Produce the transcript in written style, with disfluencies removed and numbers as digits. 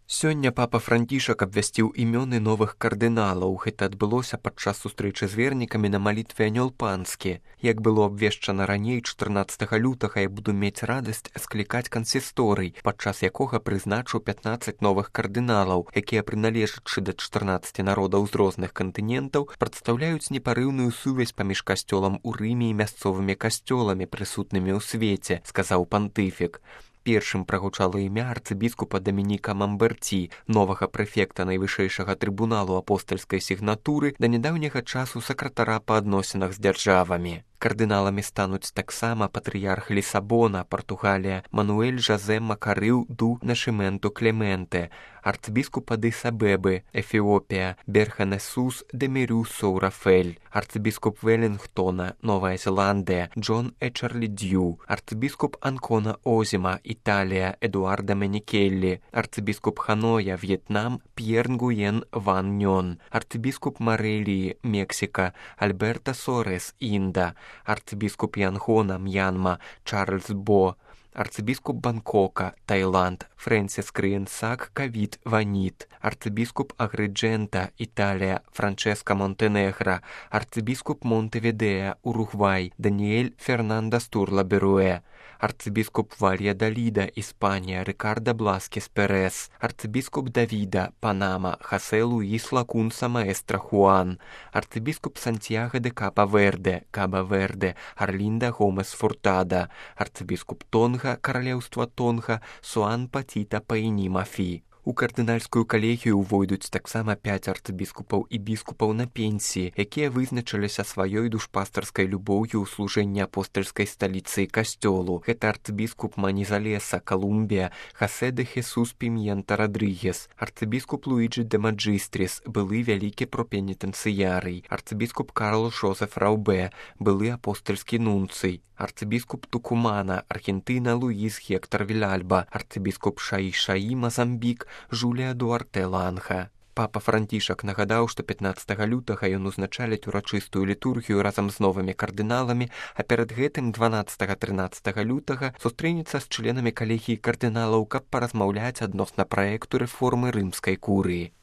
Сёння папа Францішак абвясціў імёны новых кардыналаў. Гэта адбылося падчас сустрэчы з вернікамі на малітве Анёл Панскі. Як было абвешчана раней, 14 лютага я буду мець радасць склікаць кансісторый, падчас якога прызначу 15 новых кардыналаў, якія, прыналежачы да 14 народаў з розных кантынентаў, прадстаўляюць непарыўную сувязь паміж касцёлам у Рыме і мясцовымі касцёламі, прысутнымі ў свеце, сказаў пантыфік. Першым прагучала імя арцыбіскупа Дамініка Мамберці, новага прэфекта найвышэйшага трыбуналу апостальскай сігнатуры, да нядаўняга часу сакратара па адносінах з дзяржавамі. Кардыналамі стануць таксама патрыярх Лісабона, Партугалія, Мануэль Жазэ Макарыў ду Нашыменту Клементе, арцыбіскуп Адыс-Абебы, Эфіопія, Берханесус Демірю Соурафель, арцыбіскуп Веллінгтона, Новая Зеландыя, Джон Эчарлі Дью, арцыбіскуп Анкона Озіма, Італія, Эдуарда Менікеллі, арцыбіскуп Ханоя, В'етнам, П'ер Нгуен Ван Нён, арцыбіскуп Марэліі, Мексіка, Альберта Сорес, Інда, арцыбіскуп Янгона, Мьянма, Чарльз Бо, арцыбіскуп Бангкока, Таиланд, Фрэнсіс Крыенсак Кавіт Ваніт, арцыбіскуп Агрыджэнта, Італія, Франческа Монтенегра, арцыбіскуп Монтевідея, Уругвай, Даніэль Фернандас Турла Беруэ, арцыбіскуп Вальядолида, Іспанія, Рикардо Бласкес Перес, арцыбіскуп Давіда, Панама, Хосе Луіс Лакунса Маэстра Хуан, арцыбіскуп Сантьяго де Каба-Верде, Арлинда Гомес Фуртада, арцыбіскуп Тонга, Каралеўства Тонга, Суан Патіта Паіні Мафі. У кардынальскую калегію ўвойдуць таксама 5 арцыбіскупаў і біскупаў на пенсіі, якія вызначыліся сваёй душпастарскай любоўю ў служэнні апостальскай сталіцы і касцёлу. Гэта арцыбіскуп Манізалеса, Колумбія, Хосе де Хесус Пімьента Родригес, арцыбіскуп Луіджі де Маджыстріс, былы вялікі пропенітэнцыярый, арцыбіскуп Карл Жозеф Раубе, былы апостальскі нунцый, арцыбіскуп Тукумана, Аргентына Луіс Гектор Вілальба, арцыбіскуп Шаі-Шаі, Мазамбік, Жулія Дуарте Ланха. Папа Францішак нагадаў, што 15 лютага ён узначаліць урачыстую літургію разам з новымі кардыналамі, а перад гэтым 12-13 лютага сустрэнецца з членамі калегіі кардыналаў, каб паразмаўляць адносна праекту рэформы рымскай курыі.